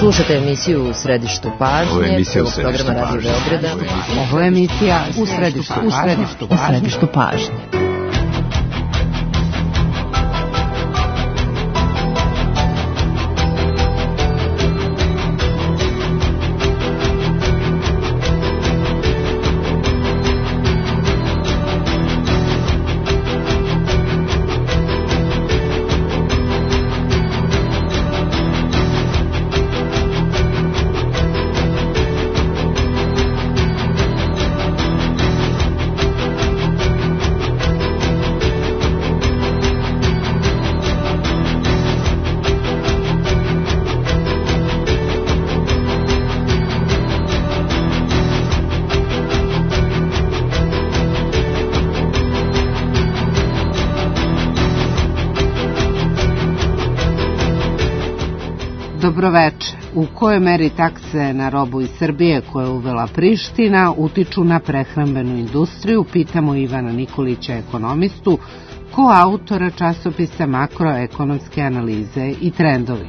Slušate emisiju U središtu pažnje. Ovo je emisija U središtu programa Radio Beograda. Ovo je emisija U središtu pažnje. Dobroveče. U kojoj meri takse na robu iz Srbije koje je uvela Priština utiču na prehrambenu industriju, pitamo Ivana Nikolića, ekonomistu, koautora časopisa Makroekonomske analize i trendovi.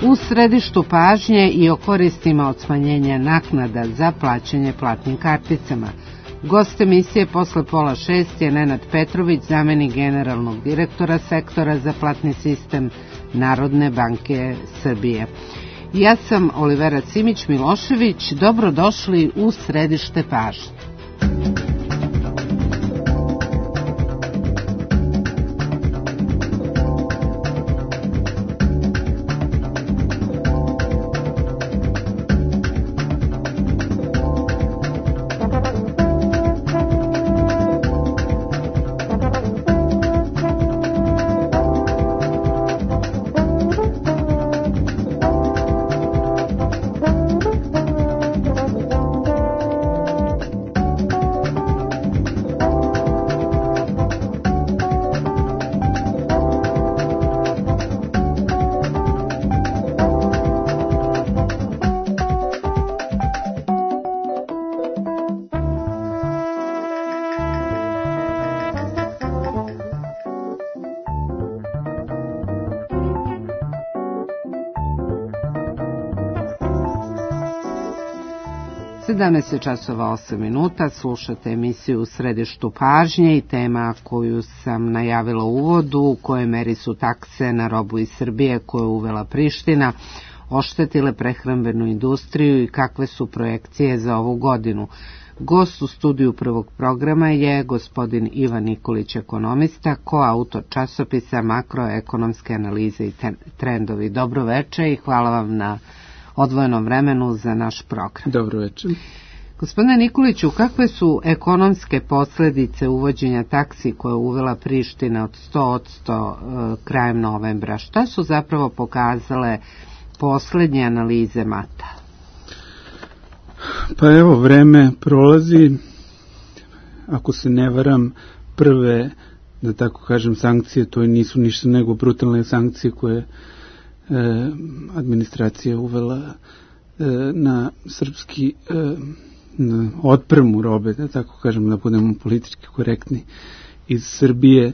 U središtu pažnje i o koristima od smanjenja naknada za plaćanje platnim karticama. Gost emisije posle 5:30 je Nenad Petrović, zamenik generalnog direktora sektora za platni sistem Narodne banke Srbije. Ja sam Olivera Simić-Milošević, dobrodošli u središte pažnje. časova 8 minuta, slušate emisiju U središtu pažnje i tema koju sam najavila u uvodu, u kojoj meri su takse na robu iz Srbije koje je uvela Priština oštetile prehrambenu industriju i kakve su projekcije za ovu godinu. Gost u studiju prvog programa je gospodin Ivan Nikolić, ekonomista, koautor časopisa Makroekonomske analize i trendovi. Dobro veče i hvala vam na odvojenom vremenu za naš program. Dobro večer. Gospodine Nikoliću, kakve su ekonomske posljedice uvođenja taksi koje je uvela Priština od 100% krajem novembra? Šta su zapravo pokazale posljednje analize MATA? Pa evo, vreme prolazi. Ako se ne varam, prve, da tako kažem, sankcije, to nisu ništa nego brutalne sankcije koje administracija uvela na srpski na otpremu robe, da tako kažem, da budemo politički korektni, iz Srbije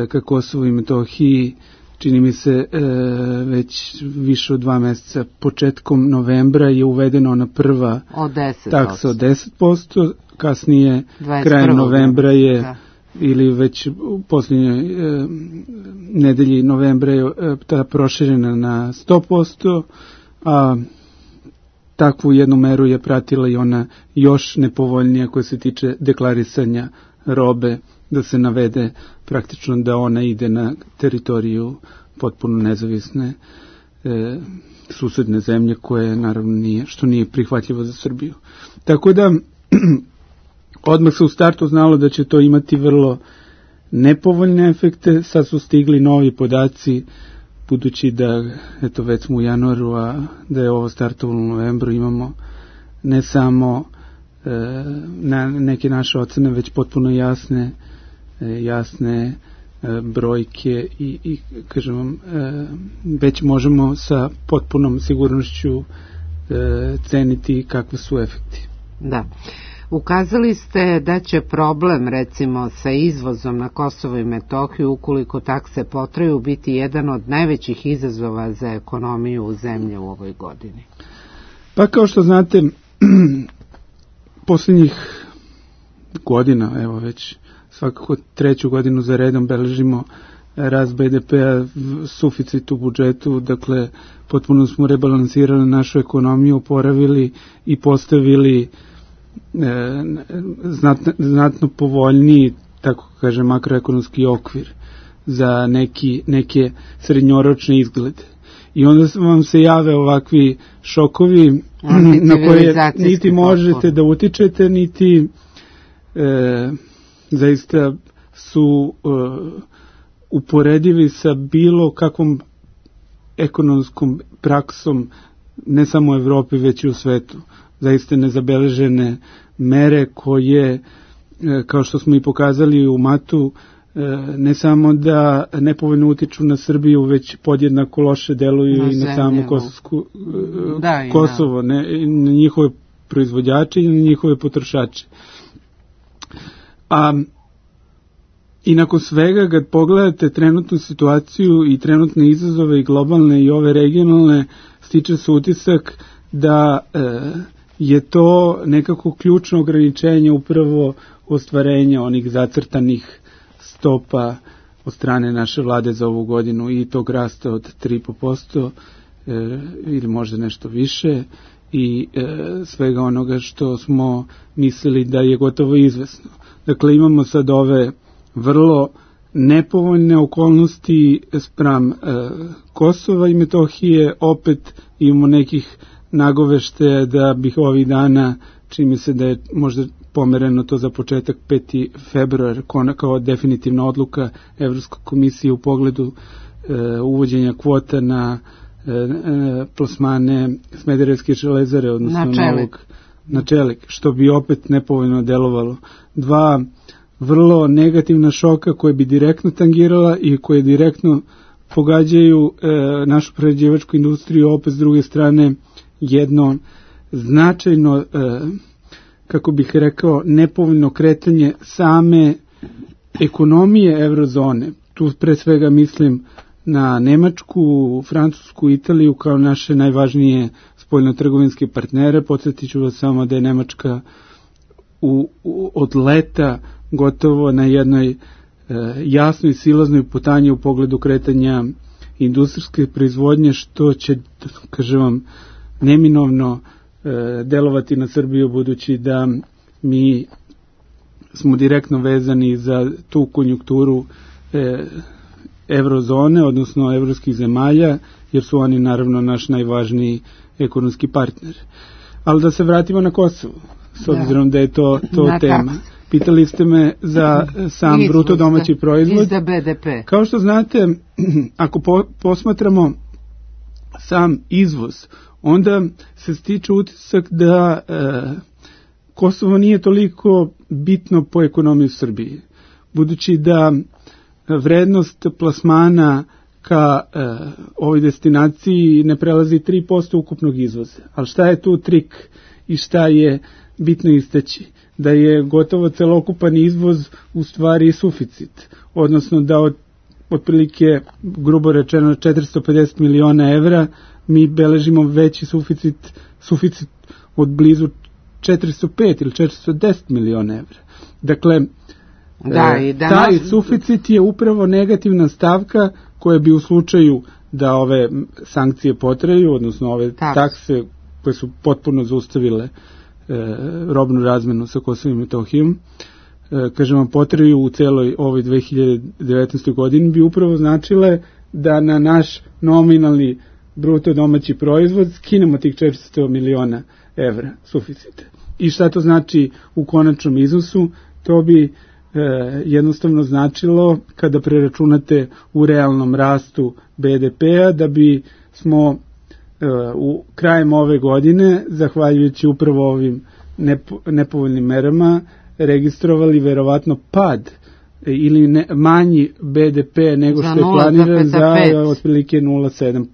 ka Kosovu i Metohiji, čini mi se već više od 2 mjeseca. Početkom novembra je uvedeno ona prva taksa od 10%, kasnije krajem novembra je ili već u posljednjoj nedelji novembra je ta proširena na 100%, a takvu jednu meru je pratila i ona još nepovoljnija koja se tiče deklarisanja robe, da se navede praktično da ona ide na teritoriju potpuno nezavisne susedne zemlje, koje naravno nije prihvatljivo za Srbiju. Tako da odmah se u startu znalo da će to imati vrlo nepovoljne efekte. Sad su stigli novi podaci, budući da eto već smo u januaru, a da je ovo startovalo u novembru, imamo ne samo na neke naše ocene, već potpuno jasne brojke i kažem vam, već možemo sa potpunom sigurnošću ceniti kakve su efekti. Da. Ukazali ste da će problem recimo sa izvozom na Kosovo i Metohiju, ukoliko takse potraju, biti jedan od najvećih izazova za ekonomiju u zemlje u ovoj godini. Pa kao što znate, posljednjih godina, evo već svakako 3. godinu za redom beležimo rast BDP-a, suficit u budžetu, dakle potpuno smo rebalansirali našu ekonomiju, oporavili i postavili znatno povoljniji, tako kaže, makroekonomski okvir za neke srednjoročne izglede. I onda vam se jave ovakvi šokovi na koje niti možete da utičete, niti zaista su uporedivi sa bilo kakvom ekonomskom praksom ne samo u Evropi već i u svetu. Zaista nezabeležene mere koje, kao što smo i pokazali u matu, ne samo da nepovoljno utiču na Srbiju, već podjednako loše deluju i na samu Kosovo, na njihove proizvođače i na njihove potrošače. I nakon svega, kad pogledate trenutnu situaciju i trenutne izazove i globalne i ove regionalne, stiče se utisak da je to nekako ključno ograničenje upravo ostvarenja onih zacrtanih stopa od strane naše vlade za ovu godinu i tog rasta od 3,5% ili možda nešto više i svega onoga što smo mislili da je gotovo izvesno. Dakle, imamo sad ove vrlo nepovoljne okolnosti spram Kosova i Metohije, opet imamo nekih nagoveštaja da bih ovih dana, čini mi se da je možda pomereno to za početak 5. februar, kao definitivna odluka Evropske komisije u pogledu uvođenja kvota na plasmane Smederevske železare, odnosno na čelik, što bi opet nepovoljno delovalo. 2 vrlo negativna šoka koje bi direktno tangirala i koje direktno pogađaju našu prerađivačku industriju, opet s druge strane jedno značajno, kako bih rekao, nepovoljno kretanje same ekonomije eurozone. Tu pre svega mislim na Nemačku, Francusku, Italiju kao naše najvažnije spoljnotrgovinske partnere. Podsjetit ću vas samo da je Nemačka od leta gotovo na jednoj jasnoj silaznoj putanji u pogledu kretanja industrijske proizvodnje, što će, kažem vam, neminovno delovati na Srbiju, budući da mi smo direktno vezani za tu konjunkturu eurozone, odnosno evropskih zemalja, jer su oni naravno naš najvažniji ekonomski partner. Ali da se vratimo na Kosovo, s obzirom da je to tema. Pitali ste me za sam bruto domaći proizvod. Za BDP. Kao što znate, ako posmatramo sam izvoz, onda se stiče utisak da Kosovo nije toliko bitno po ekonomiji Srbije, budući da vrednost plasmana ka ovoj destinaciji ne prelazi 3% ukupnog izvoza. Ali šta je tu trik i šta je bitno istaći? Da je gotovo celokupan izvoz u stvari suficit, odnosno da otprilike, grubo rečeno, 450 miliona evra mi beležimo veći suficit od blizu 405 ili 410 miliona evra. Dakle, taj suficit je upravo negativna stavka koja bi u slučaju da ove sankcije potraju, odnosno ove takse koje su potpuno zaustavile robnu razmenu sa Kosovom i Metohijom, kažem vam, potraju u celoj ovoj 2019. godini, bi upravo značile da na naš nominalni bruto domaći proizvod skinemo tih 400 miliona evra suficita. I šta to znači u konačnom iznosu? To bi jednostavno značilo, kada preračunate u realnom rastu BDP-a, da bi smo u krajem ove godine, zahvaljujući upravo ovim nepovoljnim merama, registrovali verovatno pad ili manji BDP nego što je planiran za otprilike 0,7%.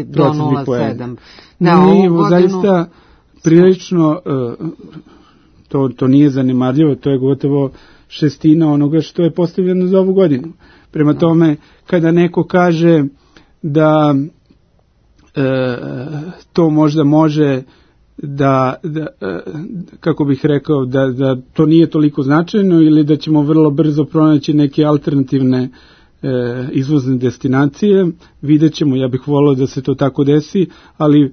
Do 0,7. Mi zaista prilično To nije zanemarljivo, to je gotovo šestina onoga što je postavljeno za ovu godinu. Prema tome, kada neko kaže da to možda može da kako bih rekao, da to nije toliko značajno ili da ćemo vrlo brzo pronaći neke alternativne izvozne destinacije, vidjet ćemo, ja bih volio da se to tako desi, ali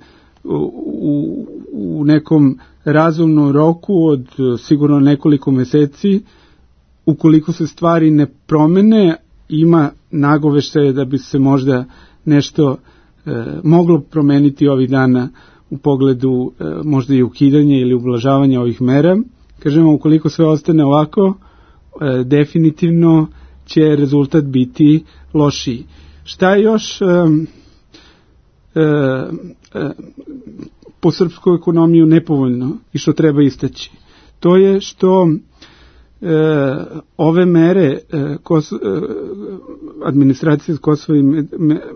u nekom razumnom roku od sigurno nekoliko meseci, ukoliko se stvari ne promene, ima nagoveštaje da bi se možda nešto moglo promeniti ovih dana u pogledu možda i ukidanja ili ublažavanja ovih mera. Kažemo, ukoliko sve ostane ovako, definitivno će rezultat biti lošiji. Šta je još po srpsku ekonomiju nepovoljno i što treba istaći? To je što ove mere administracije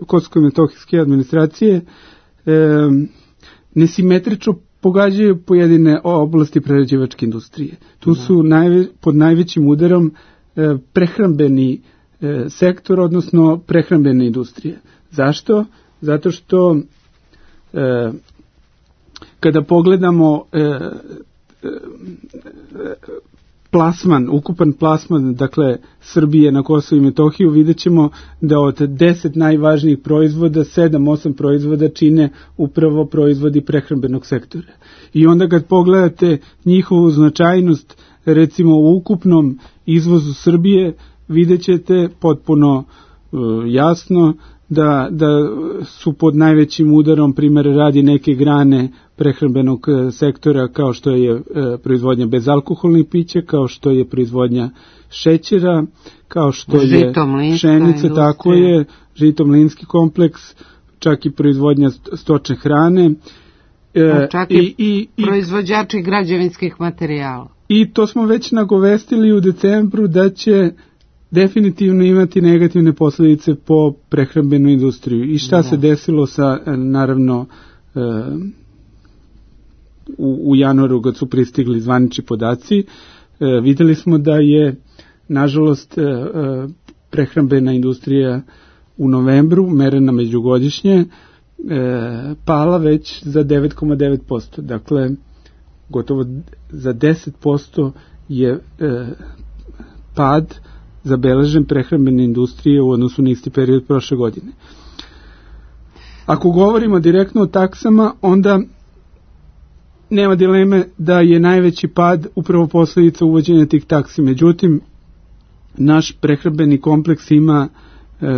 Kosovsko-metohijske administracije nesimetrično pogađaju pojedine oblasti prerađivačke industrije. Tu su pod najvećim udarom prehrambeni sektor, odnosno prehrambene industrije. Zašto? Zato što kada pogledamo ukupan plasman, dakle, Srbije na Kosovo i Metohiju, vidjet ćemo da od 10 najvažnijih proizvoda, 7-8 proizvoda čine upravo proizvodi prehrambenog sektora. I onda kad pogledate njihovu značajnost, recimo u ukupnom izvozu Srbije, vidjet ćete potpuno jasno da su pod najvećim udarom, primjer radi, neke grane prehrambenog sektora, kao što je proizvodnja bezalkoholnih pića, kao što je proizvodnja šećera, kao što je pšenica, tako je, žito-mlinski kompleks, čak i proizvodnja stočne hrane. Čak i proizvođači građevinskih materijala. I to smo već nagovestili u decembru da će definitivno imati negativne posljedice po prehrambenu industriju. I šta se desilo sa, naravno, u januaru kad su pristigli zvanični podaci, videli smo da je, nažalost, prehrambena industrija u novembru, merena međugodišnje, pala već za 9,9%. Dakle, gotovo za 10% je pad zabeležen prehrambene industrije u odnosu na isti period prošle godine. Ako govorimo direktno o taksama, onda nema dileme da je najveći pad upravo posljedica uvođenja tih taksi. Međutim, naš prehrambeni kompleks ima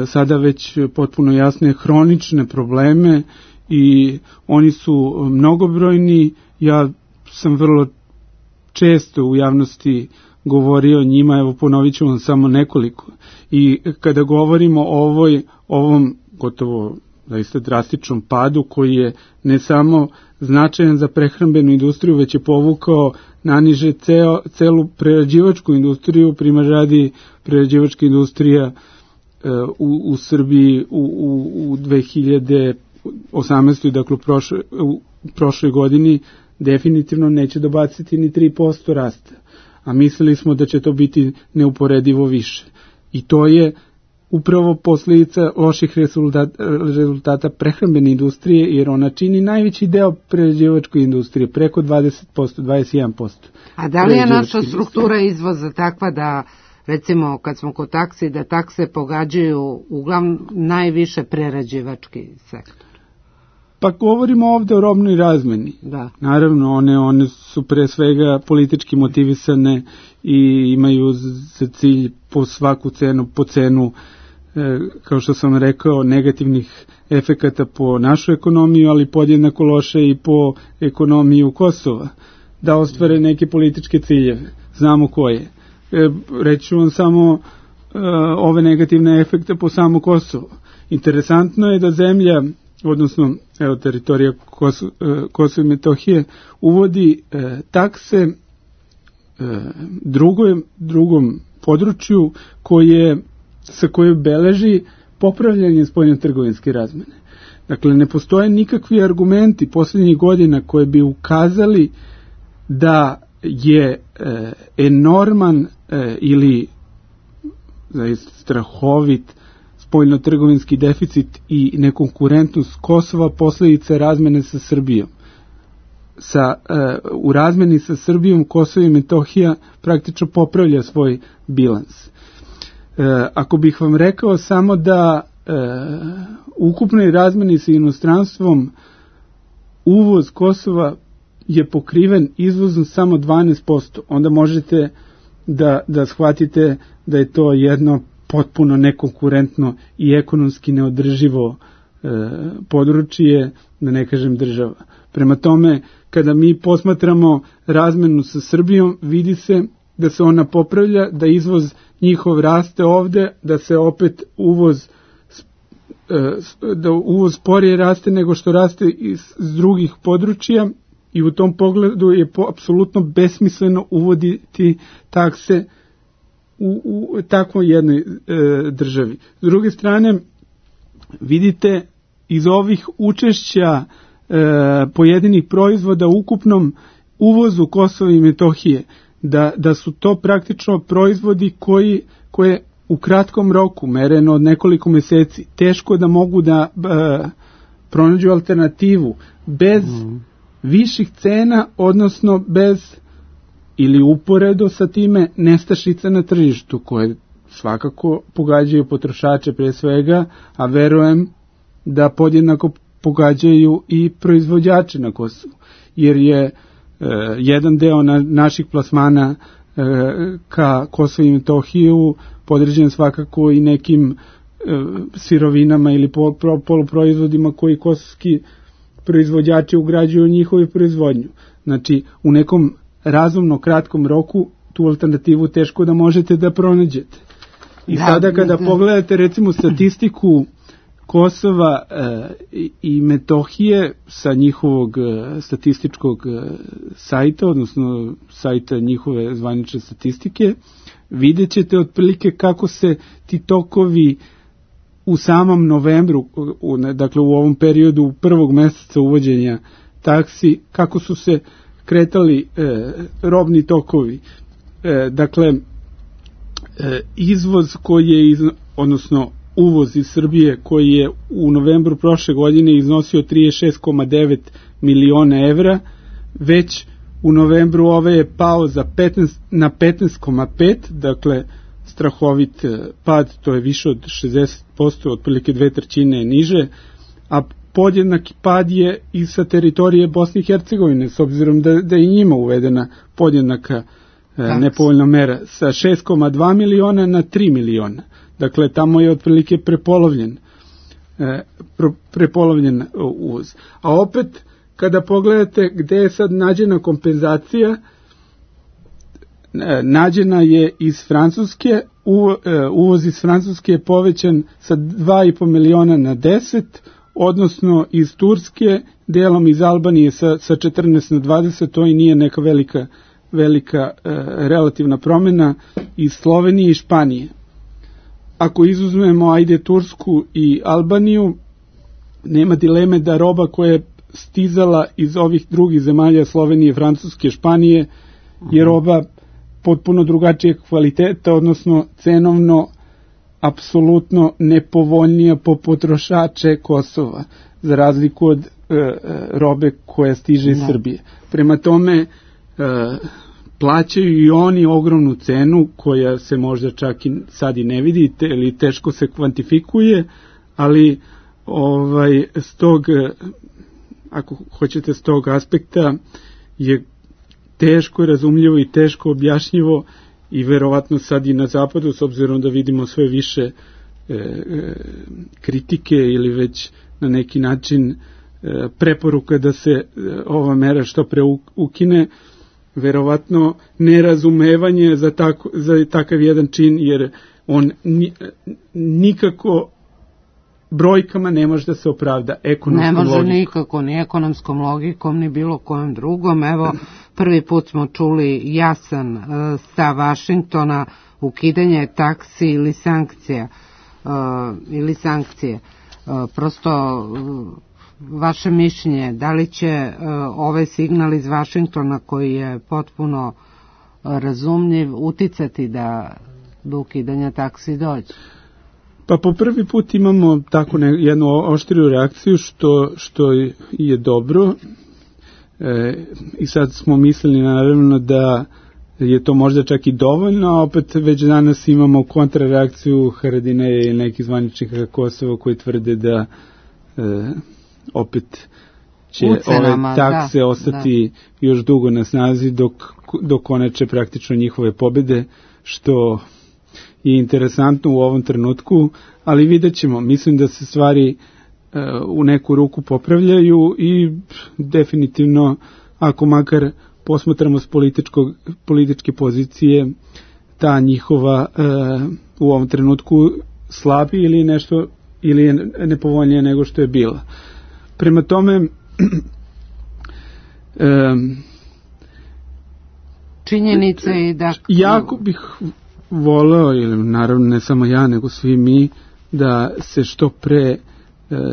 sada već potpuno jasne hronične probleme i oni su mnogobrojni. Ja sam vrlo često u javnosti govorio o njima, evo ponovit ću vam samo nekoliko. I kada govorimo o ovom gotovo zaista drastičnom padu koji je ne samo značajan za prehrambenu industriju, već je povukao naniže celu prerađivačku industriju, primjer radi prerađivačka industrija u Srbiji u 2018. dakle u prošloj godini definitivno neće dobaciti ni 3% rasta, a mislili smo da će to biti neuporedivo više. I to je upravo posljedica loših rezultata prehrambene industrije, jer ona čini najveći deo prerađivačke industrije, preko 20%, 21%. A da li je naša struktura izvoza takva da, recimo, kad smo kod taksi, da takse pogađaju uglavnom najviše prerađivački sektor? Pa govorimo ovde o robnoj razmeni. Da. Naravno, one su pre svega politički motivisane i imaju za cilj po svaku cenu, po cenu, kao što sam rekao, negativnih efekata po našu ekonomiju, ali podjednako loše i po ekonomiju Kosova, da ostvare neke političke ciljeve. Znamo koje. Reću vam samo ove negativne efekte po samo Kosovo. Interesantno je da zemlja, odnosno teritorija Kosova i Metohije, uvodi takse drugom području sa koje beleži popravljanje spoljnotrgovinske razmene. Dakle, ne postoje nikakvi argumenti posljednjih godina koje bi ukazali da je enorman ili strahovit spoljnotrgovinski deficit i nekonkurentnost Kosova posljedica razmene sa Srbijom. U razmeni sa Srbijom Kosovo i Metohija praktično popravlja svoj bilans. Ako bih vam rekao samo da ukupnoj razmeni sa inostranstvom uvoz Kosova je pokriven izvozom samo 12%, onda možete da shvatite da je to jedno potpuno nekonkurentno i ekonomski neodrživo područje, da ne kažem država. Prema tome, kada mi posmatramo razmenu sa Srbijom, vidi se da se ona popravlja, da izvoz njihov raste ovde, da se opet uvoz sporije raste nego što raste iz drugih područja i u tom pogledu je apsolutno besmisleno uvoditi takse u takvoj jednoj državi. S druge strane, vidite iz ovih učešća pojedinih proizvoda u ukupnom uvozu Kosova i Metohije, da su to praktično proizvodi koje u kratkom roku, mereno od nekoliko meseci, teško da mogu da pronađu alternativu bez viših cena, odnosno bez ili uporedo sa time nestašica na tržištu, koje svakako pogađaju potrošače pre svega, a verujem da podjednako pogađaju i proizvođače na Kosovu, jer je jedan deo naših plasmana ka Kosovu i Metohiju podređen svakako i nekim sirovinama ili poluproizvodima koji kosovski proizvođači ugrađuju u njihovu proizvodnju. Znači, u nekom razumno kratkom roku tu alternativu teško da možete da pronađete. I sada kada pogledate recimo statistiku Kosova i Metohije sa njihovog statističkog sajta, odnosno sajta njihove zvanične statistike, vidjet ćete otprilike kako se ti tokovi u samom novembru, dakle u ovom periodu prvog meseca uvođenja taksi, kako su se kretali robni tokovi. Dakle, izvoz koji je, odnosno uvoz iz Srbije koji je u novembru prošle godine iznosio 36,9 miliona evra, već u novembru ove je pao na 15,5, dakle strahovit pad, to je više od 60%, otprilike 2/3 je niže, a podjednaki pad je i sa teritorije Bosne i Hercegovine, s obzirom da je njima uvedena podjednaka nepovoljna mera, sa 6,2 miliona na 3 miliona. Dakle, tamo je otprilike prepolovljen uvoz. A opet, kada pogledate gde je sad nađena kompenzacija, nađena je iz Francuske, uvoz iz Francuske je povećan sa 2,5 miliona na 10, odnosno iz Turske, delom iz Albanije sa 14 na 20, to i nije neka velika relativna promjena, iz Slovenije i Španije. Ako izuzmemo Tursku i Albaniju, nema dileme da roba koja je stizala iz ovih drugih zemalja, Slovenije, Francuske, Španije, je roba potpuno drugačijeg kvaliteta, odnosno cenovno apsolutno nepovoljnija po potrošače Kosova, za razliku od robe koja stiže iz Srbije. Prema tome, plaćaju i oni ogromnu cenu koja se možda čak i sad i ne vidite ili teško se kvantifikuje, ali ako hoćete s tog aspekta je teško razumljivo i teško objašnjivo i verovatno sad i na zapadu, s obzirom da vidimo sve više kritike ili već na neki način preporuka da se ova mera što pre ukine, verovatno nerazumevanje za takav jedan čin, jer on nikako brojkama ne može da se opravda ekonomskom logikom. Ne može nikako, ni ekonomskom logikom, ni bilo kojom drugom. Evo, prvi put smo čuli jasan stav Vašingtona, ukidanje taksi ili sankcije. Prosto vaše mišljenje, da li će ovaj signal iz Vašingtona koji je potpuno razumljiv uticati da do ukidanja taksi dođe? Pa po prvi put imamo tako jednu oštriju reakciju što je dobro. I sad smo mislili naravno da je to možda čak i dovoljno, a opet već danas imamo kontrareakciju Haradinaja i nekih zvaničnika Kosova koji tvrde da opet će ove takse ostati još dugo na snazi dok konače praktično njihove pobede, što je interesantno u ovom trenutku, ali vidjet ćemo. Mislim da se stvari u neku ruku popravljaju i definitivno, ako makar posmatramo s političke pozicije, ta njihova u ovom trenutku slabi ili nešto, ili je nepovoljnije nego što je bila. Prema tome, činjenica je da jako bih voleo, ili naravno ne samo ja, nego svi mi, da se što pre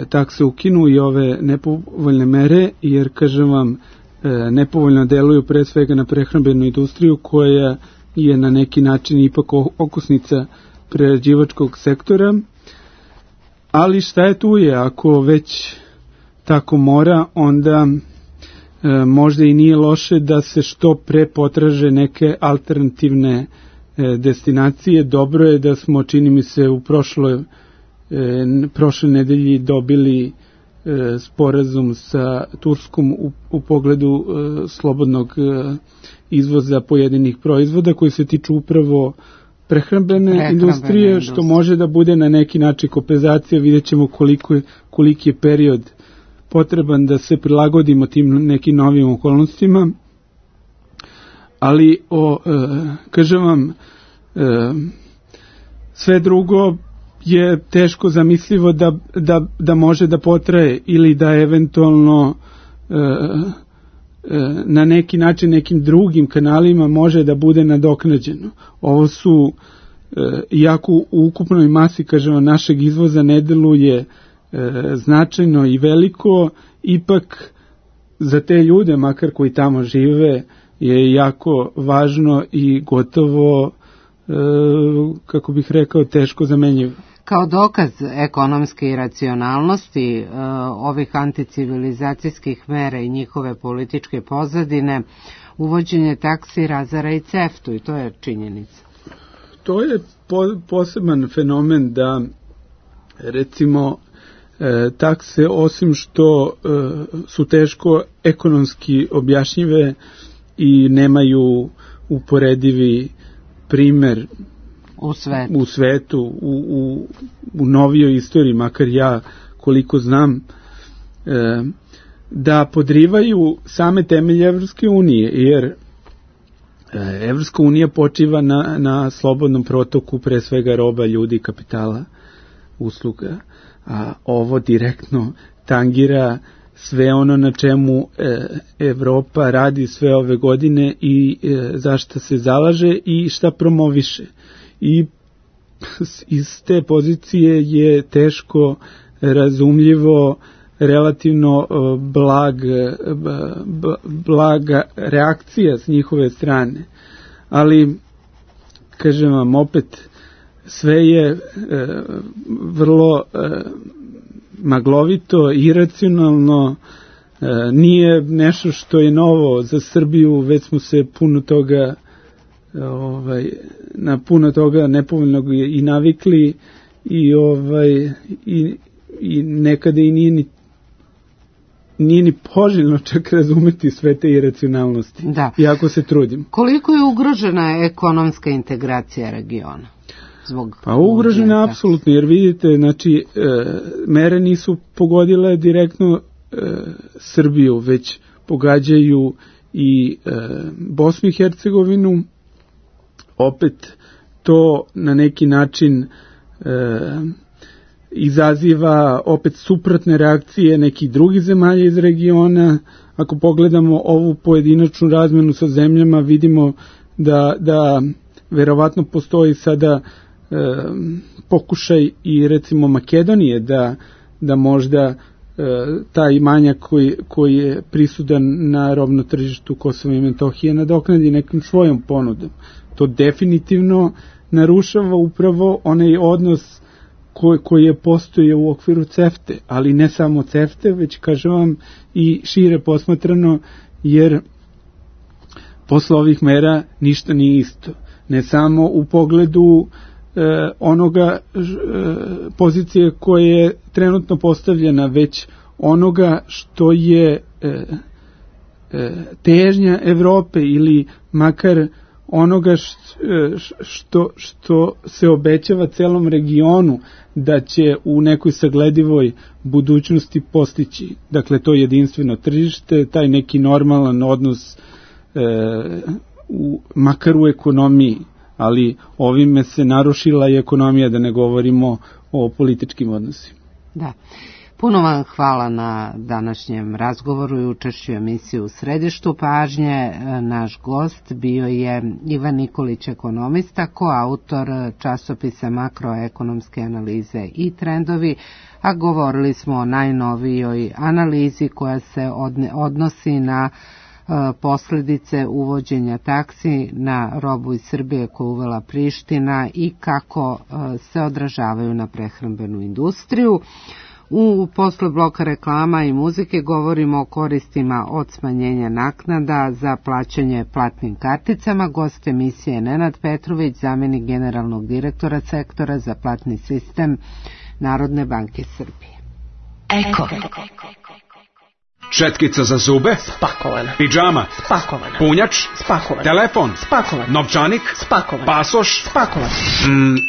takse ukinu i ove nepovoljne mere, jer, kažem vam, nepovoljno deluju pre svega na prehrambenu industriju koja je na neki način ipak okosnica prerađivačkog sektora, ali šta je tu je, ako već tako mora, onda možda i nije loše da se što pre potraže neke alternativne destinacije. Dobro je da smo, čini mi se, u prošle nedelji dobili sporazum sa Turskom u pogledu slobodnog izvoza pojedinih proizvoda koji se tiču upravo prehrambene industrije, što može da bude na neki način kompenzacija. Vidjet ćemo koliki je period potreban da se prilagodimo tim nekim novim okolnostima, ali kažem vam, sve drugo je teško zamislivo da može da potraje ili da eventualno na neki način nekim drugim kanalima može da bude nadoknađeno. Ovo su, iako u ukupnoj masi, kažemo, našeg izvoza ne deluje značajno i veliko, ipak za te ljude, makar koji tamo žive, je jako važno i gotovo, kako bih rekao, teško zamenjivo. Kao dokaz ekonomske iracionalnosti ovih anticivilizacijskih mera i njihove političke pozadine, uvođenje taksi razara i CEFTA, i to je činjenica. To je poseban fenomen da, recimo, takse, osim što su teško ekonomski objašnjive i nemaju uporedivi primer u svetu, u novijoj istoriji, makar ja koliko znam, da podrivaju same temelje Evropske unije, jer Evropska unija počiva na slobodnom protoku, pre svega roba, ljudi, kapitala, usluga, a ovo direktno tangira sve ono na čemu Evropa radi sve ove godine i za šta se zalaže i šta promoviše. I iz te pozicije je teško razumljivo relativno blaga reakcija s njihove strane. Ali, kažem vam, opet, sve je vrlo maglovito, iracionalno, nije nešto što je novo za Srbiju, već smo se puno toga na puno toga nepovoljnog i navikli i nekada i nije ni poželjno čak razumeti sve te iracionalnosti, iako se trudim. Koliko je ugrožena ekonomska integracija regiona? Pa ugrožena apsolutno, jer vidite, znači, mere nisu pogodile direktno Srbiju, već pogađaju i Bosnu i Hercegovinu. Opet to na neki način izaziva opet suprotne reakcije nekih drugih zemalja iz regiona. Ako pogledamo ovu pojedinačnu razmenu sa zemljama, vidimo da verovatno postoji sada pokušaj i recimo Makedonije da možda taj manjak koji je prisudan na robno tržištu Kosova i Metohije nadoknadi nekim svojom ponudom. To definitivno narušava upravo onaj odnos koji je postojao u okviru CEFTE, ali ne samo CEFTE, već kažem vam i šire posmatrano, jer posle ovih mera ništa nije isto. Ne samo u pogledu onoga pozicije koja je trenutno postavljena, već onoga što je težnja Evrope ili makar onoga što se obećava celom regionu da će u nekoj sagledivoj budućnosti postići. Dakle, to jedinstveno tržište, taj neki normalan odnos makar u ekonomiji, ali ovime se narušila i ekonomija, da ne govorimo o političkim odnosima. Da. Puno vam hvala na današnjem razgovoru i učešću emisiju U središtu pažnje. Naš gost bio je Ivan Nikolić, ekonomista, koautor časopisa Makroekonomske analize i trendovi, a govorili smo o najnovijoj analizi koja se odnosi na posljedice uvođenja taksi na robu iz Srbije koju uvela Priština i kako se odražavaju na prehrambenu industriju. Posle bloka reklama i muzike govorimo o koristima od smanjenja naknada za plaćanje platnim karticama. Gost emisije Nenad Petrović, zamjenik generalnog direktora sektora za platni sistem Narodne banke Srbije. Eko. Četkica za zube? Spakovana. Pidžama? Spakovana. Punjač? Spakovan. Telefon? Spakovan. Novčanik? Spakovan. Pasoš? Spakovan.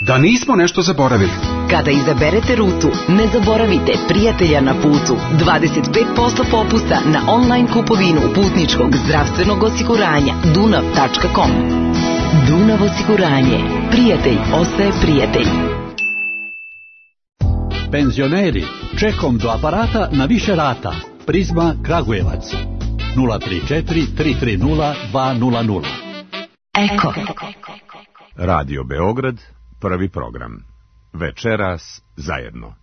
Da nismo nešto zaboravili. Kada izaberete rutu, ne zaboravite prijatelja na putu. 25% popusta na online kupovinu putničkog zdravstvenog osiguranja dunav.com. Dunav osiguranje. Prijatelj ostaje prijatelj. Penzioneri, čekom do aparata na više rata. Prizma Kragujevac 034 330 200. Eko. Radio Beograd, prvi program. Večeras zajedno.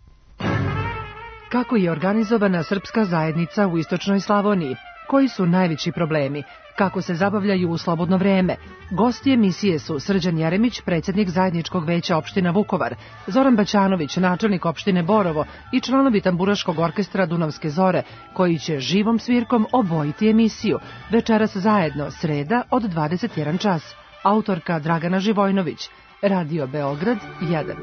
Kako je organizovana srpska zajednica u istočnoj Slavoniji? Koji su najveći problemi? Kako se zabavljaju u slobodno vreme? Gosti emisije su Srđan Jeremić, predsjednik zajedničkog veća opština Vukovar, Zoran Baćanović, načelnik opštine Borovo i članovi tamburaškog orkestra Dunavske zore, koji će živom svirkom obojiti emisiju. Večeras zajedno, sreda od 21 čas. Autorka Dragana Živojnović. Radio Beograd 1.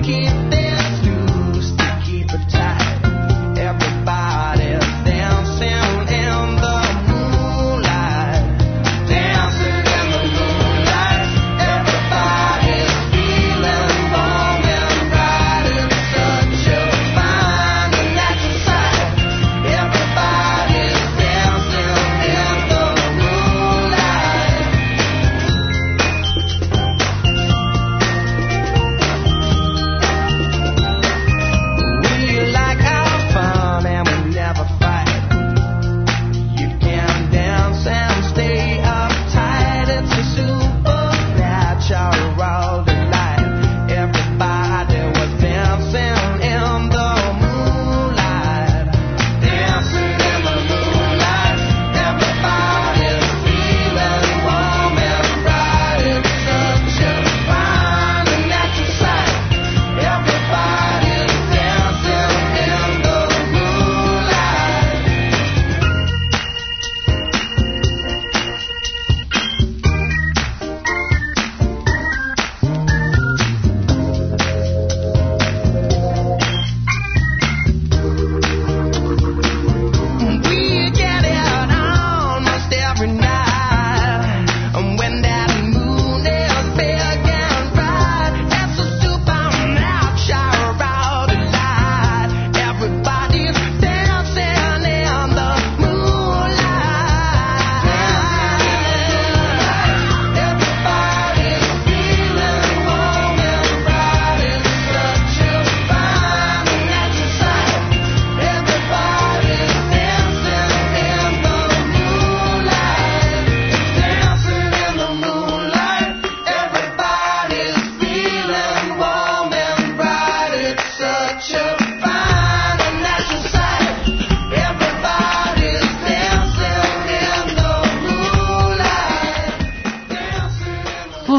Keep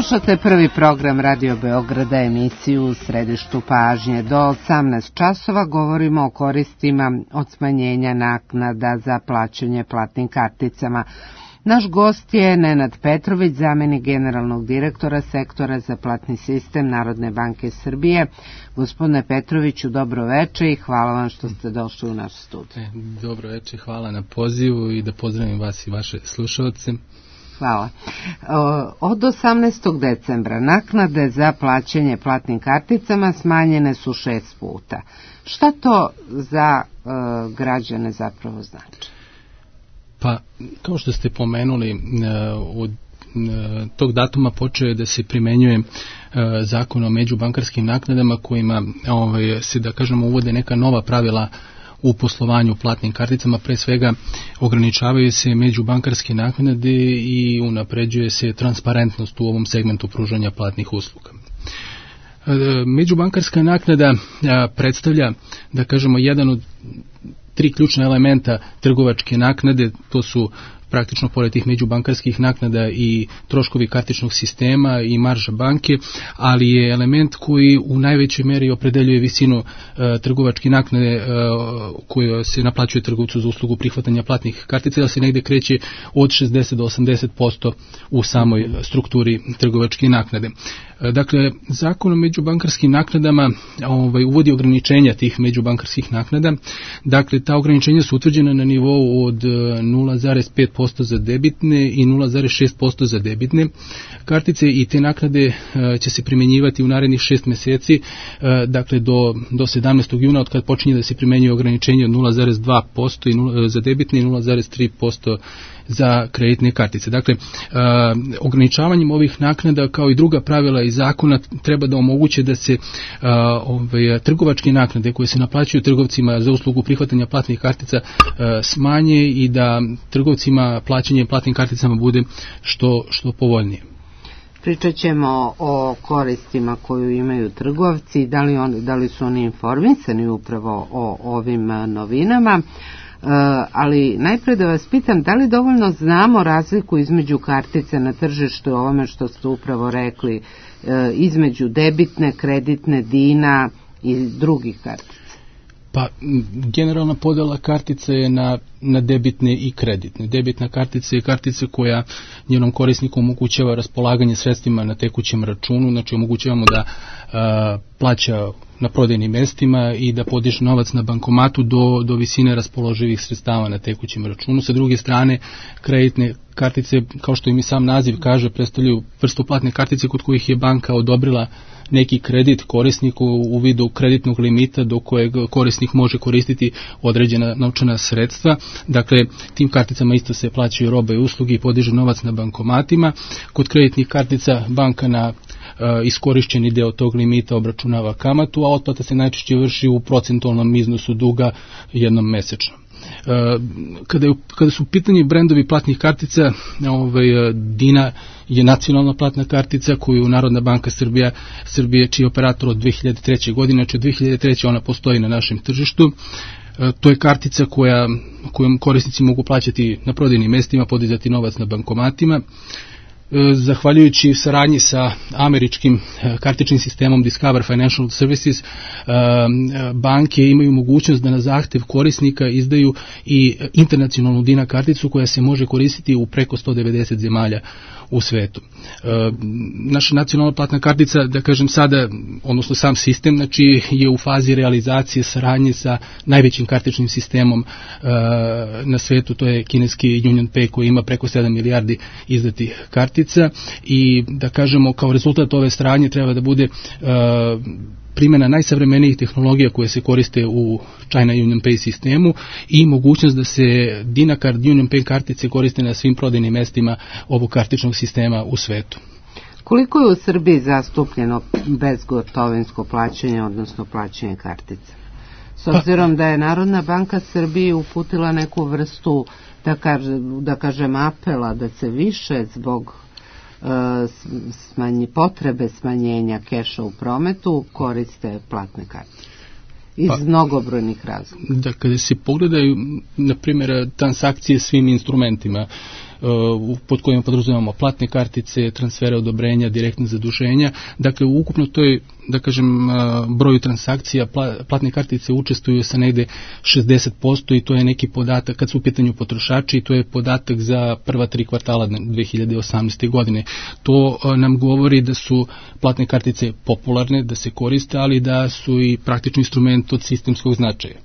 Slušate prvi program Radio Beograda, emisiju u središtu pažnje. Do 18 časova govorimo o koristima od smanjenja naknada za plaćanje platnim karticama. Naš gost je Nenad Petrović, zamenik generalnog direktora sektora za platni sistem Narodne banke Srbije. Gospodine Petroviću, dobro veče i hvala vam što ste došli u naš studij. Dobro veče, hvala na pozivu i da pozdravim vas i vaše slušalce. Hvala. Od 18. decembra naknade za plaćanje platnim karticama smanjene su 6 puta. Šta to za građane zapravo znači? Pa, kao što ste pomenuli, od tog datuma počeo je da se primenjuje zakon o međubankarskim naknadama kojima se, da kažemo, uvode neka nova pravila u poslovanju platnim karticama. Pre svega ograničavaju se međubankarske naknade i unapređuje se transparentnost u ovom segmentu pružanja platnih usluga. Međubankarska naknada predstavlja, da kažemo, jedan od 3 ključna elementa trgovačke naknade. To su praktično pored tih međubankarskih naknada i troškovi kartičnog sistema i marža banke, ali je element koji u najvećoj meri opredeljuje visinu trgovačke naknade koja se naplaćuje trgovcu za uslugu prihvatanja platnih kartica, da se negde kreće od 60 do 80% u samoj strukturi trgovačke naknade. Dakle, zakon o međubankarskim naknadama uvodi ograničenja tih međubankarskih naknada. Dakle, ta ograničenja su utvrđena na nivou od 0,5% za debitne i 0,6% za debitne kartice i te naknade će se primjenjivati u narednih 6 meseci, dakle do 17. juna, od kad počinje da se primenjuje ograničenje od 0,2% za debitne i 0,3% za kreditne kartice. Dakle, ograničavanjem ovih naknada kao i druga pravila iz zakona treba da omoguće da se trgovačke naknade koje se naplaćuju trgovcima za uslugu prihvatanja platnih kartica smanje i da trgovcima plaćanje platnim karticama bude što povoljnije. Pričat ćemo o koristima koju imaju trgovci, da li su oni informisani upravo o ovim novinama. Ali najpre da vas pitam, da li dovoljno znamo razliku između kartice na tržištu, ovome što ste upravo rekli, između debitne, kreditne, dina i drugih kartica? Pa, generalna podela kartica je na debitne i kreditne. Debitna kartica je kartica koja njenom korisniku omogućava raspolaganje sredstvima na tekućem računu, znači omogućavamo da plaća na prodajnim mestima i da podiže novac na bankomatu do visine raspoloživih sredstava na tekućem računu. Sa druge strane, kreditne kartice, kao što im i sam naziv kaže, predstavljaju vrstu platne kartice kod kojih je banka odobrila neki kredit korisniku u vidu kreditnog limita do kojeg korisnik može koristiti određena novčana sredstva. Dakle, tim karticama isto se plaćaju robe i usluge i podiže novac na bankomatima. Kod kreditnih kartica banka na iskorišćeni deo tog limita obračunava kamatu, a otplata se najčešće vrši u procentualnom iznosu duga jednom mesečno. Kada su u pitanju brendovi platnih kartica, Dina je nacionalna platna kartica koju Narodna banka Srbije, čiji je operator od 2003. godine, znači od 2003. ona postoji na našem tržištu. To je kartica kojom korisnici mogu plaćati na prodajnim mestima, podizati novac na bankomatima. Zahvaljujući saradnji sa američkim kartičnim sistemom Discover Financial Services, banke imaju mogućnost da na zahtev korisnika izdaju i internacionalnu Dina karticu koja se može koristiti u preko 190 zemalja u svetu. Naša nacionalna platna kartica, da kažem sada, odnosno sam sistem, znači je u fazi realizacije saradnje sa najvećim kartičnim sistemom na svetu, to je kineski UnionPay koji ima preko 7 milijardi izdatih kartica i da kažemo kao rezultat ove saradnje treba da bude primjena najsavremenijih tehnologija koje se koriste u China UnionPay sistemu i mogućnost da se DinaCard UnionPay kartice koriste na svim prodajnim mestima ovog kartičnog sistema u svetu. Koliko je u Srbiji zastupljeno bezgotovinsko plaćanje, odnosno plaćanje kartica? S obzirom da je Narodna banka Srbije uputila neku vrstu, da kažem, apela da se više zbog potrebe smanjenja keša u prometu koriste platne kartice iz mnogobrojnih razloga. Da, kada se pogledaju, na primjer, transakcije svim instrumentima, pod kojima podrazumevamo platne kartice, transfere odobrenja, direktne zaduženja. Dakle, ukupno to je, da kažem, broju transakcija platne kartice učestvuju sa negde 60% i to je neki podatak kad su u pitanju potrošači i to je podatak za prva 3 kvartala 2018. godine. To nam govori da su platne kartice popularne, da se koriste, ali da su i praktični instrument od sistemskog značaja.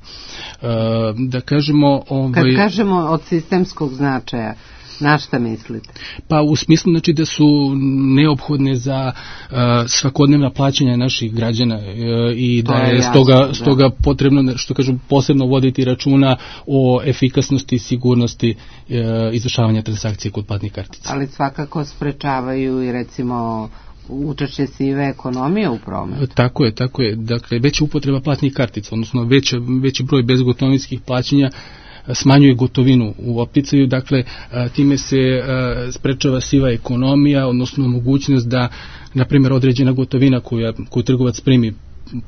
Da kažemo... Kad kažemo od sistemskog značaja, na šta mislite? Pa u smislu, znači, da su neophodne za svakodnevna plaćanja naših građana i da je stoga potrebno, što kažu, posebno voditi računa o efikasnosti i sigurnosti izvršavanja transakcije kod platnih kartica. Ali svakako sprečavaju i, recimo, učešće sive ekonomije u prometu. Tako je. Dakle, veća upotreba platnih kartica, odnosno veći broj bezgotovinskih plaćanja smanjuje gotovinu u opticaju, dakle time se sprečava siva ekonomija, odnosno mogućnost da, na primjer, određena gotovina koju trgovac primi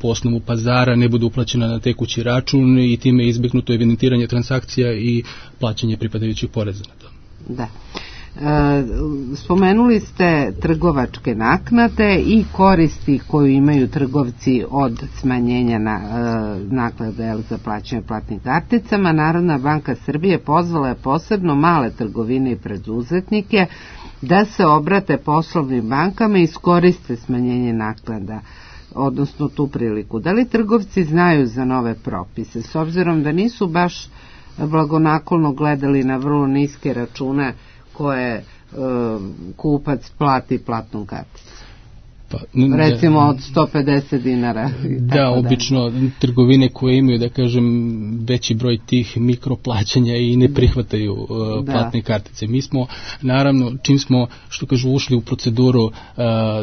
po osnovu pazara ne bude uplaćena na tekući račun i time je izbjegnuto evidentiranje transakcija i plaćanje pripadajućih poreza na to. Da. Spomenuli ste trgovačke naknade i koristi koju imaju trgovci od smanjenja naknade za plaćanje platnim karticama. Narodna banka Srbije pozvala je posebno male trgovine i preduzetnike da se obrate poslovnim bankama i iskoriste smanjenje naknada, odnosno tu priliku. Da li trgovci znaju za nove propise, s obzirom da nisu baš blagonaklono gledali na vrlo niske račune koje kupac plati platnom karticom? Recimo od 150 dinara. Da, obično trgovine koje imaju, da kažem, veći broj tih mikroplaćanja i ne prihvataju platne kartice. Mi smo, naravno, čim smo, što kažu, ušli u proceduru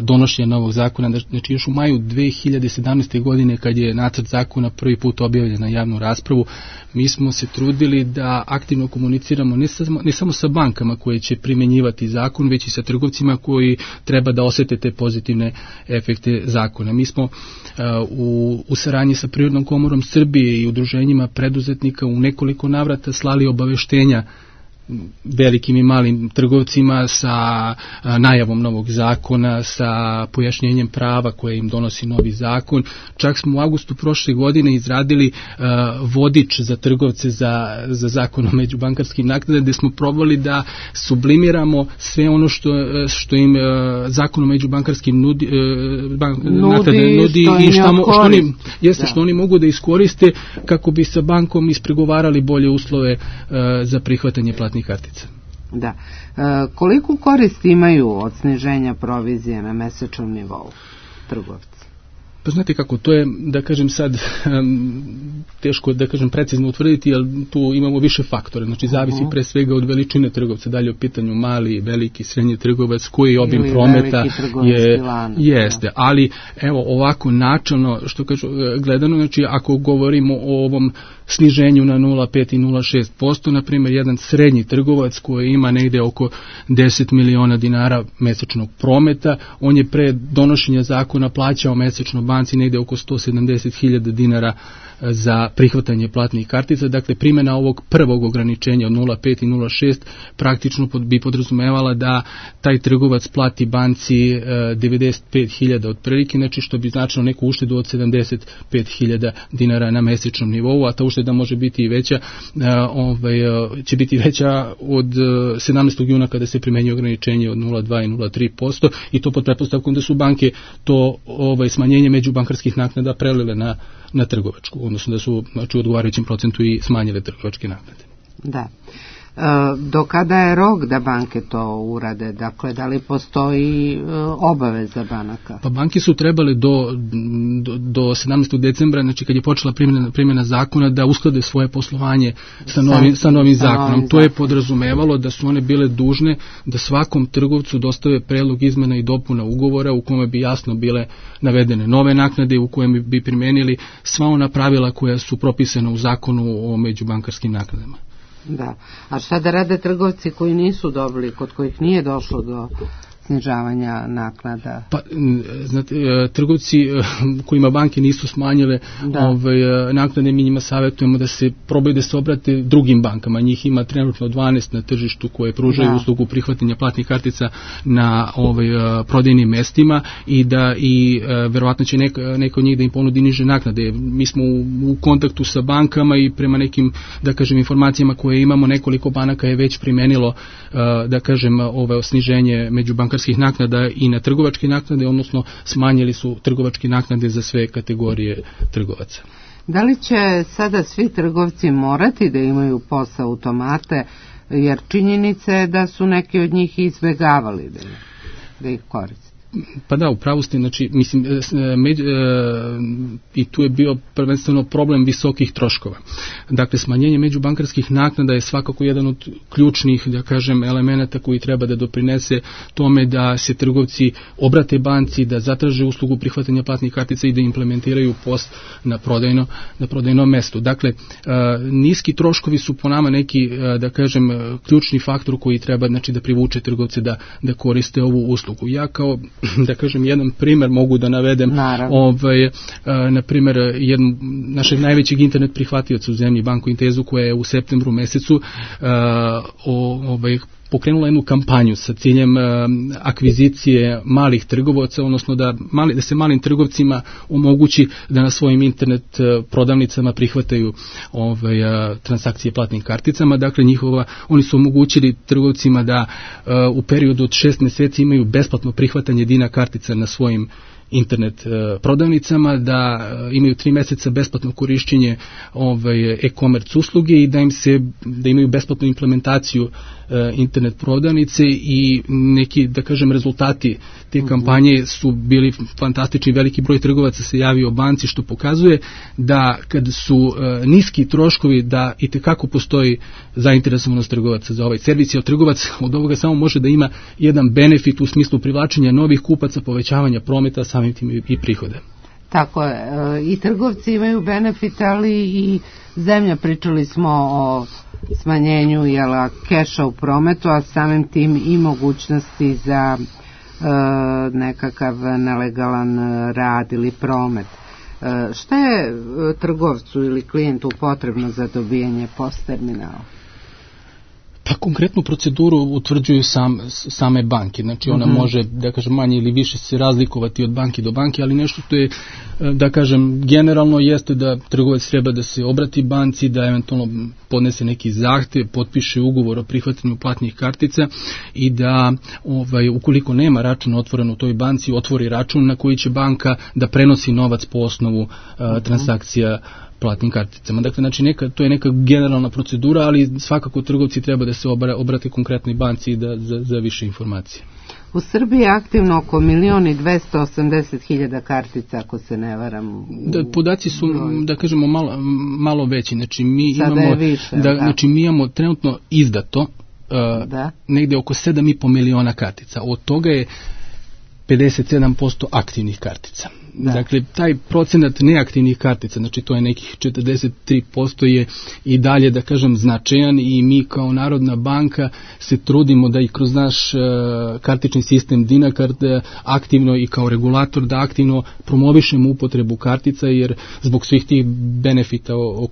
donošenja novog zakona, znači još u maju 2017. godine, kad je nacrt zakona prvi put objavljen na javnu raspravu, mi smo se trudili da aktivno komuniciramo ne samo sa bankama koje će primjenjivati zakon, već i sa trgovcima koji treba da osete te pozitivne efekte zakona. Mi smo u saradnji sa Privrednom komorom Srbije i udruženjima preduzetnika u nekoliko navrata slali obaveštenja velikim i malim trgovcima sa najavom novog zakona, sa pojašnjenjem prava koje im donosi novi zakon. Čak smo u avgustu prošle godine izradili vodič za trgovce za zakon o međubankarskim naknadama, gde smo probali da sublimiramo sve ono što im zakon o međubankarskim nudi i što oni mogu da iskoriste kako bi sa bankom ispregovarali bolje uslove za prihvatanje platnih kartica. Da. Koliko koristi imaju od sniženja provizije na mesečnom nivou trgovci? Pa znate kako, to je, da kažem sad, teško da kažem precizno utvrditi, jer tu imamo više faktora, znači zavisi pre svega od veličine trgovca, dalje u pitanju mali, veliki, srednji trgovac, koji obim prometa jeste, ali evo ovako načelno, što kažu, gledano, znači ako govorimo o ovom sniženju na 0,5 i 0,6%, na primjer jedan srednji trgovac koji ima negde oko 10 miliona dinara mesečnog prometa, on je pre donošenja zakona plaćao mesečno banci negde oko 170.000 dinara za prihvatanje platnih kartica. Dakle, primjena ovog prvog ograničenja od 0,5 i 0,6 praktično bi podrazumevala da taj trgovac plati banci 95.000 otprilike, znači što bi značilo neku uštedu od 75.000 dinara na mesečnom nivou, a ta ušteda može biti i veća, će biti veća od 17. juna kada se primenjuje ograničenje od 0,2 i 0,3% i to pod pretpostavkom da su banke to smanjenje međubankarskih naknada prelile na trgovačku, odnosno da su, znači, u odgovarajućem procentu i smanjile trgovačke naknade. Da. Do kada je rok da banke to urade? Dakle, da li postoji obaveza banaka? Pa banke su trebale do 17. decembra, znači kad je počela primjena zakona, da usklade svoje poslovanje sa novim zakonom. To je podrazumevalo da su one bile dužne da svakom trgovcu dostave predlog izmena i dopuna ugovora u kome bi jasno bile navedene nove naknade, u kojem bi primenili sva ona pravila koja su propisana u zakonu o međubankarskim naknadama. Da. A šta da rade trgovci koji nisu dobili, kod kojih nije došlo do snižavanja naknada? Pa, znate, trgovci kojima banke nisu smanjile naknade, mi njima savjetujemo da se probaju da se obrate drugim bankama. Njih ima trenutno 12 na tržištu koje pružaju uslugu prihvatanja platnih kartica na prodajnim mestima i da verovatno će neka od njih da im ponudi niže naknade. Mi smo u kontaktu sa bankama i prema nekim, da kažem, informacijama koje imamo, nekoliko banaka je već primenilo, da kažem, sniženje međubankarskih naknada i na trgovačke naknade, odnosno smanjili su trgovačke naknade za sve kategorije trgovaca. Da li će sada svi trgovci morati da imaju POS automate, jer činjenica je da su neki od njih izbegavali da ih koriste? Pa da, upravo ste, znači, mislim, i tu je bio prvenstveno problem visokih troškova. Dakle, smanjenje međubankarskih naknada je svakako jedan od ključnih, da kažem, elemenata koji treba da doprinese tome da se trgovci obrate banci, da zatraže uslugu prihvatanja platnih kartica i da implementiraju POS na prodajnom mestu. Dakle, niski troškovi su po nama neki, da kažem, ključni faktor koji treba, znači, da privuče trgovce da koriste ovu uslugu. Ja kao, da kažem, jedan primer mogu da navedem, na primer, našeg najvećeg internet prihvatioca u zemlji, Banku Intezu, koja je u septembru mesecu pokrenula jednu kampanju sa ciljem akvizicije malih trgovaca, odnosno da se malim trgovcima omogući da na svojim internet prodavnicama prihvataju transakcije platnim karticama. Dakle, oni su omogućili trgovcima da u periodu od 6 meseci imaju besplatno prihvatanje Dina kartica na svojim internet prodavnicama, da imaju 3 meseca besplatno korišćenje e-commerce usluge i da imaju besplatnu implementaciju internet prodavnice i neki, da kažem, rezultati te kampanje su bili fantastični. Veliki broj trgovaca se javio banci, što pokazuje da kad su niski troškovi, da i tekako postoji zainteresovanost trgovaca za ovaj servis, jer trgovac od ovoga samo može da ima jedan benefit u smislu privlačenja novih kupaca, povećavanja prometa, samim tim i prihode. Tako je, i trgovci imaju benefit, ali i zemlja, pričali smo o smanjenju keša u prometu, a samim tim i mogućnosti za nekakav nelegalan rad ili promet. Šta je trgovcu ili klijentu potrebno za dobijanje POS terminala? Pa konkretnu proceduru utvrđuju same banke, znači ona može, da kažem, manje ili više se razlikovati od banke do banke, ali nešto što je, da kažem, generalno jeste da trgovac treba da se obrati banci, da eventualno podnese neki zahtev, potpiše ugovor o prihvatanju platnih kartica i da, ukoliko nema račun otvoren u toj banci, otvori račun na koji će banka da prenosi novac po osnovu transakcija platnim karticama. Dakle, znači to je neka generalna procedura, ali svakako trgovci treba da se obrate konkretnoj banci i za više informacije. U Srbiji je aktivno oko 1.280.000 kartica, ako se ne varam. Podaci su, da kažemo, malo veći. Znači, mi imamo trenutno izdato negde oko 7,5 miliona kartica. Od toga je 57% aktivnih kartica. Dakle, taj procenat neaktivnih kartica, znači to je nekih 43%, je i dalje, da kažem, značajan i mi kao Narodna banka se trudimo da i kroz naš kartični sistem Dinakard aktivno i kao regulator da aktivno promovišemo upotrebu kartica, jer zbog svih tih benefita o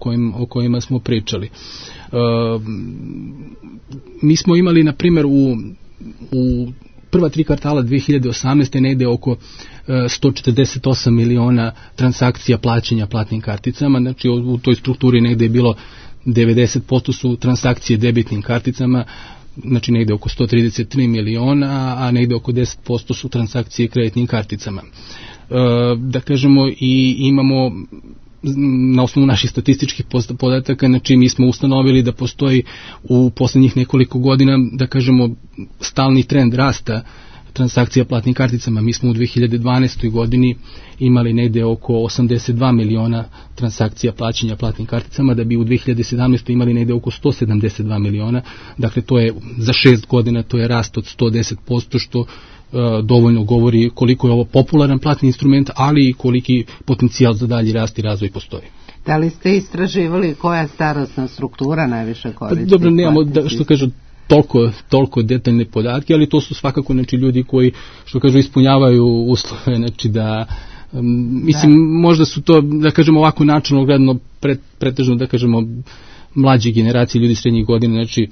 kojima smo pričali. Mi smo imali, na primjer, u prva 3 kvartala 2018. negde oko 148 miliona transakcija plaćanja platnim karticama, znači u toj strukturi negde je bilo 90% su transakcije debitnim karticama, znači negde oko 133 miliona, a negde oko 10% su transakcije kreditnim karticama. Da kažemo, i imamo na osnovu naših statističkih podataka, znači mi smo ustanovili da postoji u poslednjih nekoliko godina, da kažemo, stalni trend rasta transakcija platnim karticama. Mi smo u 2012. godini imali negde oko 82 miliona transakcija plaćanja platnim karticama, da bi u 2017. imali negde oko 172 miliona. Dakle, to je za 6 godina, to je rast od 110%, što dovoljno govori koliko je ovo popularan platni instrument, ali i koliki potencijal za dalji rast i razvoj postoji. Da li ste istraživali koja starosna struktura najviše koristi? Dobro, nemamo, što kažu, toliko detaljne podatke, ali to su svakako znači ljudi koji, što kažu, ispunjavaju uslove, znači da mislim, možda su to, da kažemo ovako načelno gledano, pretežno, da kažemo, mlađe generacije, ljudi srednjih godina, znači,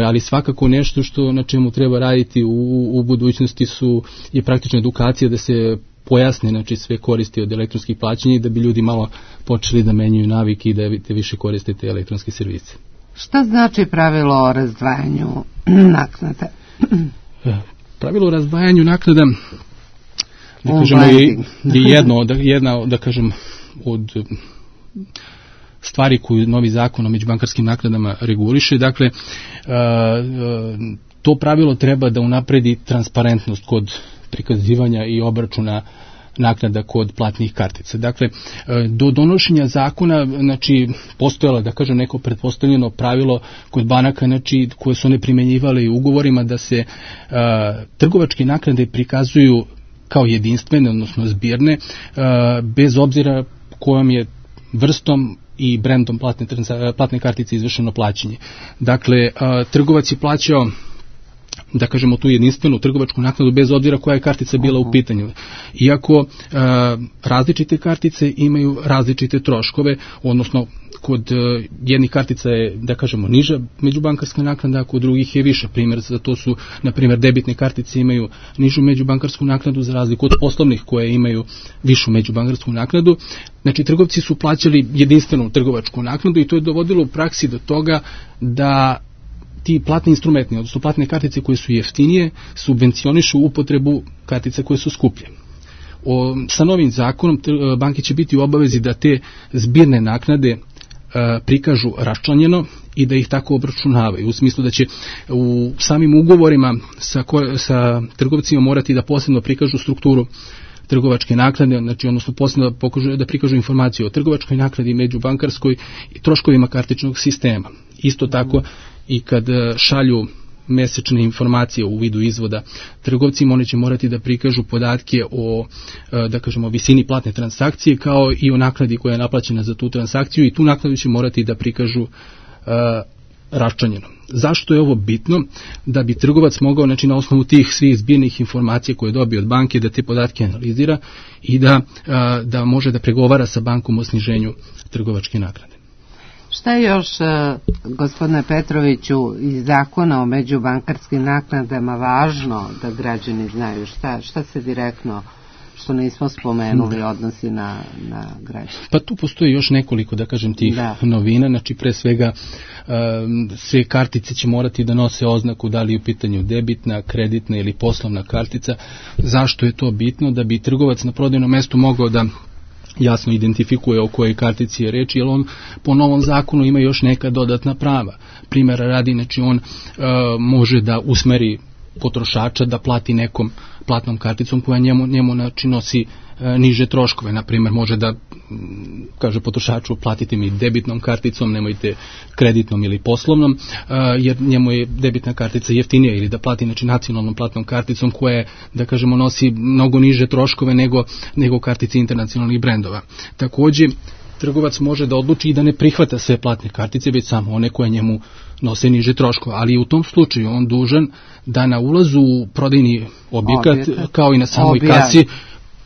ali svakako nešto što na čemu treba raditi u budućnosti je praktična edukacija, da se pojasne, znači, sve koristi od elektronskih plaćanja i da bi ljudi malo počeli da menjaju navike i da više koriste te elektronske servise. Šta znači pravilo o razdvajanju naknada? Pravilo o razdvajanju naknada, da kažemo, je jedna, da kažem, od stvari koju novi zakon o međubankarskim naknadama reguliše. Dakle, to pravilo treba da unapredi transparentnost kod prikazivanja i obračuna naknada kod platnih kartica. Dakle, do donošenja zakona, znači, postojalo, da kažem, neko pretpostavljeno pravilo kod banaka, znači, koje su one primenjivale i ugovorima, da se trgovačke naknade prikazuju kao jedinstvene, odnosno zbirne, bez obzira kojom je vrstom i brendom platne kartice izvršeno plaćanje. Dakle, trgovac je plaćao, da kažemo, tu jedinstvenu trgovačku naknadu bez obzira koja je kartica bila u pitanju. Iako različite kartice imaju različite troškove, odnosno kod jednih kartica je, da kažemo, niža međubankarska naknada, a kod drugih je viša. Primjer za to su, na primjer, debitne kartice imaju nižu međubankarsku naknadu za razliku od poslovnih koje imaju višu međubankarsku naknadu. Znači, trgovci su plaćali jedinstvenu trgovačku naknadu i to je dovodilo u praksi do toga da ti platni instrumenti, odnosno platne kartice koje su jeftinije, subvencionišu upotrebu kartica koje su skuplje. Sa novim zakonom banke će biti u obavezi da te zbirne naknade prikažu raščlanjeno i da ih tako obračunavaju, u smislu da će u samim ugovorima sa trgovcima morati da posebno prikažu strukturu trgovačke naknade, znači, odnosno posebno da prikažu informaciju o trgovačkoj naknadi, međubankarskoj i troškovima kartičnog sistema. Isto tako i kad šalju mesečne informacije u vidu izvoda trgovcima, oni će morati da prikažu podatke o, da kažemo, visini platne transakcije, kao i o naknadi koja je naplaćena za tu transakciju, i tu naknadu će morati da prikažu raščlanjeno. Zašto je ovo bitno? Da bi trgovac mogao, znači, na osnovu tih svih zbirnih informacija koje dobije od banke, da te podatke analizira i da može da pregovara sa bankom o sniženju trgovačke naknade. Šta je još, gospodine Petroviću, iz zakona o međubankarskim naknadama važno da građani znaju? Šta se direktno, što nismo spomenuli, odnosi na građane? Pa tu postoji još nekoliko, da kažem, tih novina. Znači, pre svega, sve kartice će morati da nose oznaku da li je u pitanju debitna, kreditna ili poslovna kartica. Zašto je to bitno? Da bi trgovac na prodajnom mestu mogao da jasno identifikuje o kojoj kartici je reč, jer on po novom zakonu ima još neka dodatna prava. Primjera radi, znači, on može da usmeri potrošača da plati nekom platnom karticom koja njemu znači, nosi niže troškove. Na primjer, može da kaže potrošaču: platite mi debitnom karticom, nemojte kreditnom ili poslovnom, jer njemu je debitna kartica jeftinija, ili da plati, znači, nacionalnom platnom karticom koja, da kažemo, nosi mnogo niže troškove nego kartice internacionalnih brendova. Također, trgovac može da odluči i da ne prihvata sve platne kartice, već samo one koje njemu nose niže troškove, ali u tom slučaju on dužan da na ulazu u prodajni objekat, kao i na samoj kasi,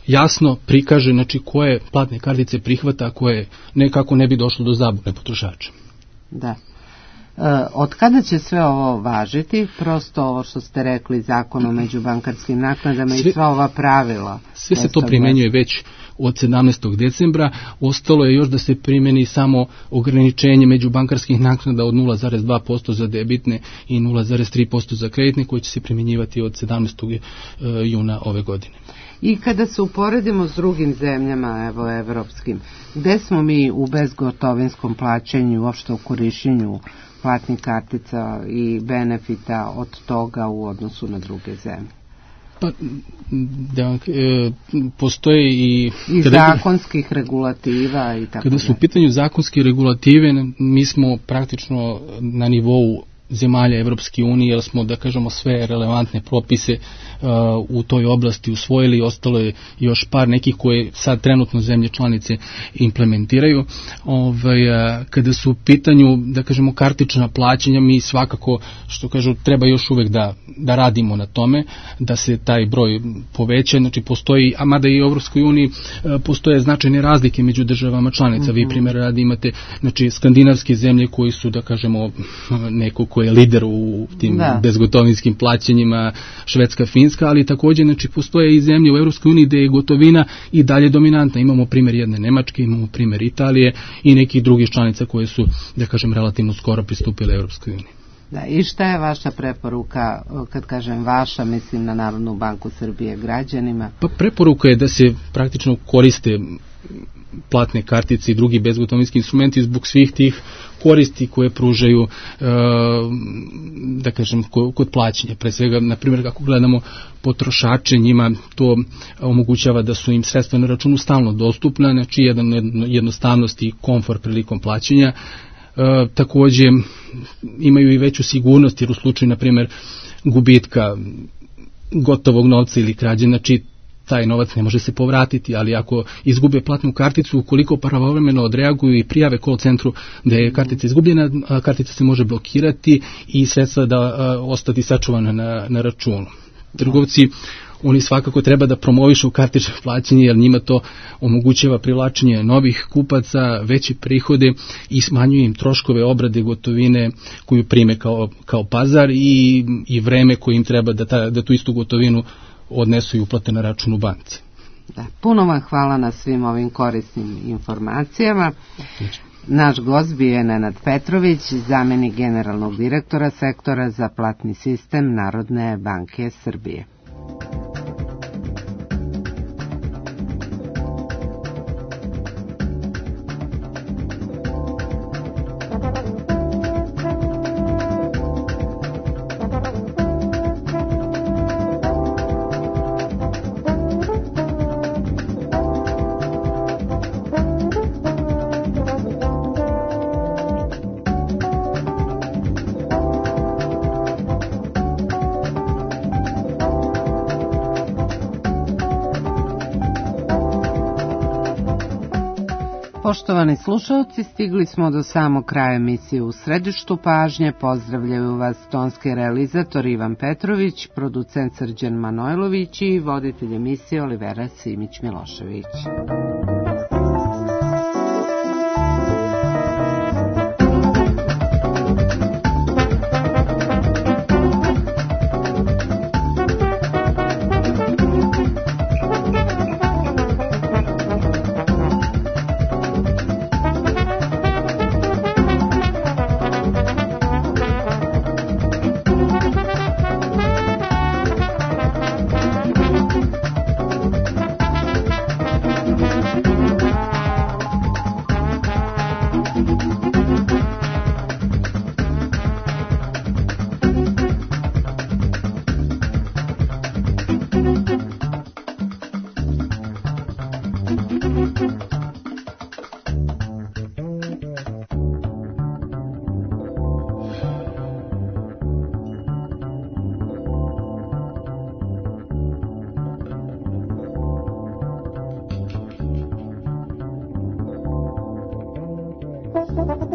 jasno prikaže, znači, koje platne kartice prihvata, a koje nekako ne bi došlo do zabune potrošača. Da. Od kada će sve ovo važiti? Prosto ovo što ste rekli, zakon o međubankarskim naknadama i sva ova pravila. Sve se to primenjuje već od 17. decembra. Ostalo je još da se primeni samo ograničenje međubankarskih naknada od 0,2% za debitne i 0,3% za kreditne, koje će se primjenjivati od 17. juna ove godine. I kada se uporedimo s drugim zemljama, evo, evropskim, gde smo mi u bezgotovinskom plaćanju, uopšte u korišćenju platnih kartica i benefita od toga u odnosu na druge zemlje? Pa, postoje i zakonskih regulativa i tako. Kada su u pitanju zakonske regulative, mi smo praktično na nivou zemalja Evropske unije, jer smo, da kažemo, sve relevantne propise u toj oblasti usvojili, ostalo je još par nekih koje sad trenutno zemlje članice implementiraju. Kada su u pitanju, da kažemo, kartična plaćanja, mi svakako, što kažu, treba još uvek da radimo na tome, da se taj broj poveća. Znači, postoji, a mada i u Evropskoj uniji postoje značajne razlike među državama članica. Vi primjer radi imate, znači, skandinavske zemlje koji su, da kažemo, neko ko je lider u tim bezgotovinskim plaćanjima, Švedska, Finska, ali također, znači, postoje i zemlje u Evropskoj uniji gde je gotovina i dalje dominantna. Imamo primjer jedne Nemačke, imamo primjer Italije i nekih drugih članica koje su, da kažem, relativno skoro pristupile Evropskoj uniji. Da, i šta je vaša preporuka, kad kažem vaša, mislim na Narodnu banku Srbije, građanima? Pa preporuka je da se praktično koriste platne kartice i drugi bezgotovinski instrumenti zbog svih tih koristi koje pružaju, da kažem, kod plaćanja. Pre svega, na primjer, kako gledamo potrošače, njima to omogućava da su im sredstva na računu stalno dostupna, znači jednostavnost i komfort prilikom plaćanja. Također imaju i veću sigurnost, jer u slučaju, na primjer, gubitka gotovog novca ili krađe, znači taj novac ne može se povratiti, ali ako izgube platnu karticu, ukoliko pravovremeno odreaguju i prijave call centru da je kartica izgubljena, kartica se može blokirati i sredstva da ostati sačuvana na računu. Trgovci, oni svakako treba da promovišu kartično plaćanje, jer njima to omogućava privlačenje novih kupaca, veće prihode i smanjuje im troškove obrade gotovine koju prime kao pazar i vreme koje im treba da tu istu gotovinu odnesu i uplate na račun u banci. Da, puno vam hvala na svim ovim korisnim informacijama. Naš gost bio je Nenad Petrović, zamenik generalnog direktora sektora za platni sistem Narodne banke Srbije. Poštovani slušalci, stigli smo do samog kraja emisije U središtu pažnje. Pozdravljaju vas tonski realizator Ivan Petrović, producent Srđan Manojlović i voditelj emisije Olivera Simić-Milošević. Thank you.